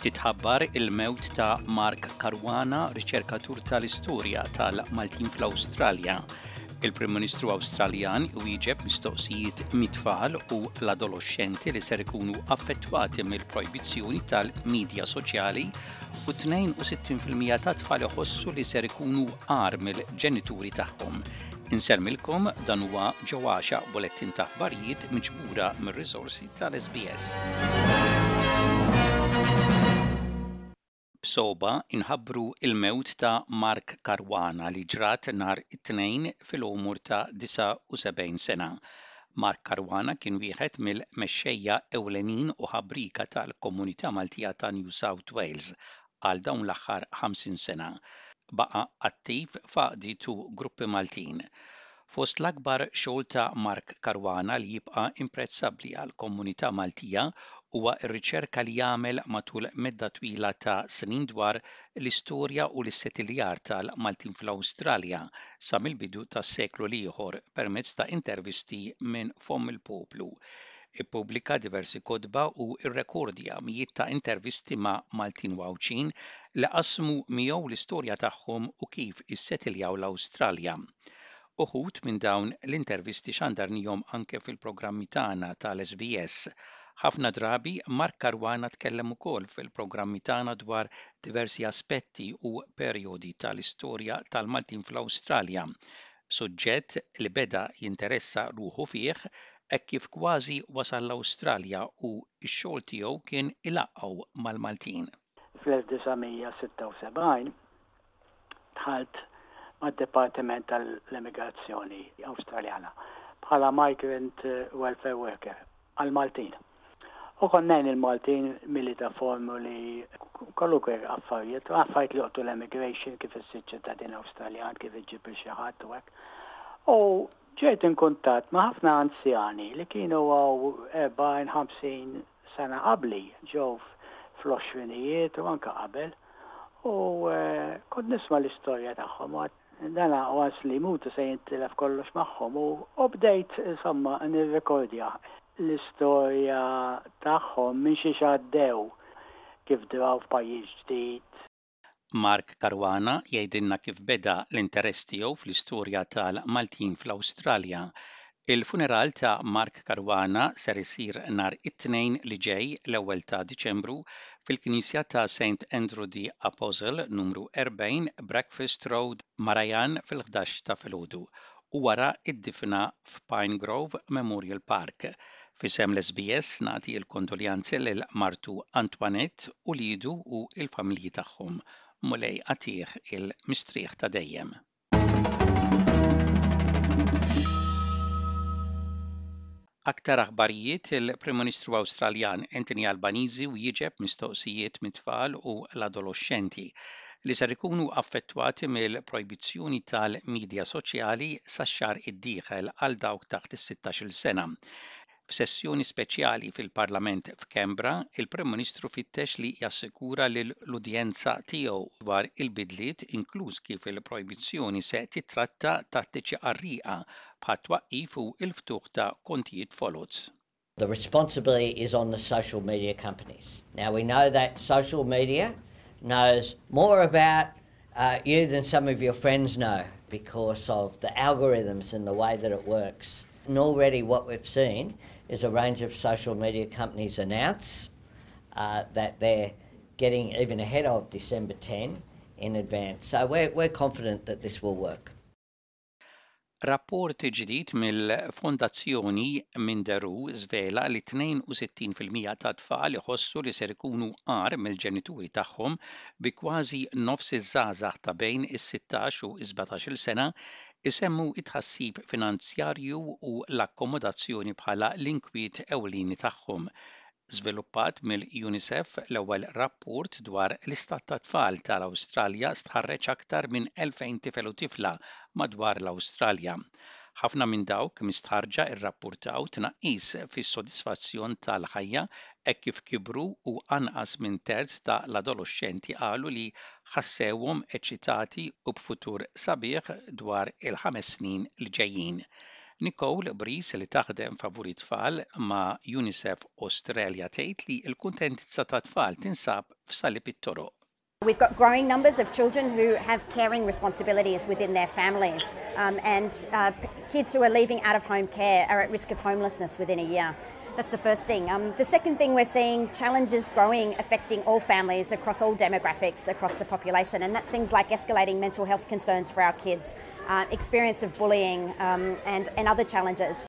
Titħabbar il-mewt ta' Mark Caruana, riċerkatur tal-istorja tal-Maltin fl-Awstralja. Il-Prim Ministru Awstraljan iwieġeb mistoqsijiet mit-tfal u l-adoloxxenti li ser ikunu affettwati mill-projbizzjoni tal-midja soċjali u 62% tat-tfal iħossu li ser ikunu agħar mill-ġenituri tagħhom. Insellmilkom dan huwa Ġo Għaxaq bulettin ta' aħbarijiet miġbura mir-riżorsi tal-SBS. B'sogħba inħabbru l-mewt ta' Mark Caruana li ġrat nhar it-Tnejn fil-għomor ta' 79 sena. Mark Caruana kien wieħed mill-mexxejja ewlenin u ħabrieka tal-komunità Maltija ta' New South Wales għal dawn l-aħħar 50 sena. Baqa' attiv f'għaqdiet u gruppi Maltin. Fost l-akbar xogħol ta' Mark Caruana li jibqa' imprezzabbli għall-komunità Maltija huwa r-riċerka li għamel matul medda twila ta' snin dwar l-istorja u l-issetiljar tal-Maltin fl-Awstralja sa mill-bidu tas-seklu l-ieħor permezz ta' intervisti minn fomm il-poplu. Ippubblika diversi kotba u rrekordja mijiet ta' intervisti ma' Maltin u Għawdxin li qasmu miegħu l-istorja tagħhom u kif issetiljaw l-Awstralja. Uħud minn dawn l-intervisti xandarnihom anke fil-programmi tagħna tal-SBS. Ħafna drabi Mark Caruana tkellem ukoll fil-programmi tagħna dwar diversi aspetti u perjodi tal-istorja tal-Maltin fl-Awstralja, suġġett li beda jinteressa ruħu fih hekk kif kważi wasal l-Awstralja u x-xogħol tiegħu kien ilaqqgħu mal-Maltin. Fl-1976 dħalt mad-Dipartiment tal-Emigrazzjoni Awstraljana bħala Migrant Welfare Worker għall-Maltin. U kont ngħin il-Maltin mili ta' formuli, kwalunkwe affarijiet, affarijiet li joqtu l-emigration, kif issir ċittadin Awstraljan, kif iġġib lil xi ħadd u hekk. U ġejt in kuntatt ma' ħafna anzjani li kienu hawn 40, 50 sena qabli, ġew fl-għoxrinijiet u anke qabel. U kont nisma' l-istorja tagħhom u għedt dana once li jmutu se jintilef kollox magħhom u bdejt insomma nirrekordja l-istorja tagħhom minn xiex għaddew, kif draw f'pajjiż ġdid. Mark Caruana jgħidilna kif beda l-interess tiegħu fl-istorja tal-Maltin fl-Awstralja. Il-funeral ta' Mark Caruana ser isir nhar it-Tnejn li ġej, l-ewwel ta' Diċembru, fil-Knisja ta' Saint Andrew the Apostle, numru 40, Breakfast Road, Marajan fil-ħdax ta' filgħodu u wara d-difna f'Pine Grove Memorial Park. F'isem l-SBS nagħti l-kondoljanzi lil martu Antoinette, uliedu u l-familji tagħhom. Mulej agħtih il-mistrieħ ta' dejjem. Aktar aħbarijiet Il-Prim Ministru Awstraljan Anthony Albanese wieġeb mistoqsijiet mit-tfal u l-adoloxxenti li ser ikunu affettwati mill-projbizzjoni tal-midja soċjali sax-xahar id-dieħel għal dawk taħt is-sittax-il sena. F'sessjoni speċjali fil-Parlament f'Canberra, il-Prim Ministru fittex li jassikura lill-udjenza tiegħu dwar il-bidliet inkluż kif il-projbizzjoni se tittratta tattiċi qarrieqa bħat-twaqqif u l-ftuħ ta' kontijiet foloz. The responsibility is on the social media companies. Now we know that social media knows more about uh, you than some of your friends know because of the algorithms and the way that it works. And already what we've seen is a range of social media companies announce uh, that they're getting even ahead of December 10 in advance. So we're, we're confident that this will work. Rapport ġdid mill-Fondazzjoni Minderoo żvela li 62 fil-mija tat-tfal iħossu li ser ikunu agħar mill-ġenituri tagħhom bi kważi nofs iż-żgħażagħ ta' bejn is-sittax u s-sbatax-il sena jsemmu t-tħassib finanzjarju u l-akkomodazzjoni bħala l-inkwiet ewlieni tagħhom. Żviluppat mill-UNICEF, l-ewwel rapport dwar l-istat tat-tfal tal-Awstralja stħarreġ aktar minn 2,000 tifel u tifla madwar l-Awstralja. Ħafna minn dawk mistħarrġa rrappurtaw tnaqqis fis-sodisfazzjon tal-ħajja hekk kif kibru u anqas minn terz ta' l-adoloxxenti qalu li ħassewhom eċċitati u b'futur sabiħ dwar il-ħames snin li ġejjin. Nicole Breeze li taħdem favur it-tfal ma' UNICEF Australia tgħid li l-kuntentizza tat-tfal tinsab f'salib it-toroq. We've got growing numbers of children who have caring responsibilities within their families, and kids who are leaving out of home care are at risk of homelessness within a year. That's the first thing. The second thing we're seeing challenges growing affecting all families across all demographics across the population, and that's things like escalating mental health concerns for our kids, experience of bullying, and other challenges.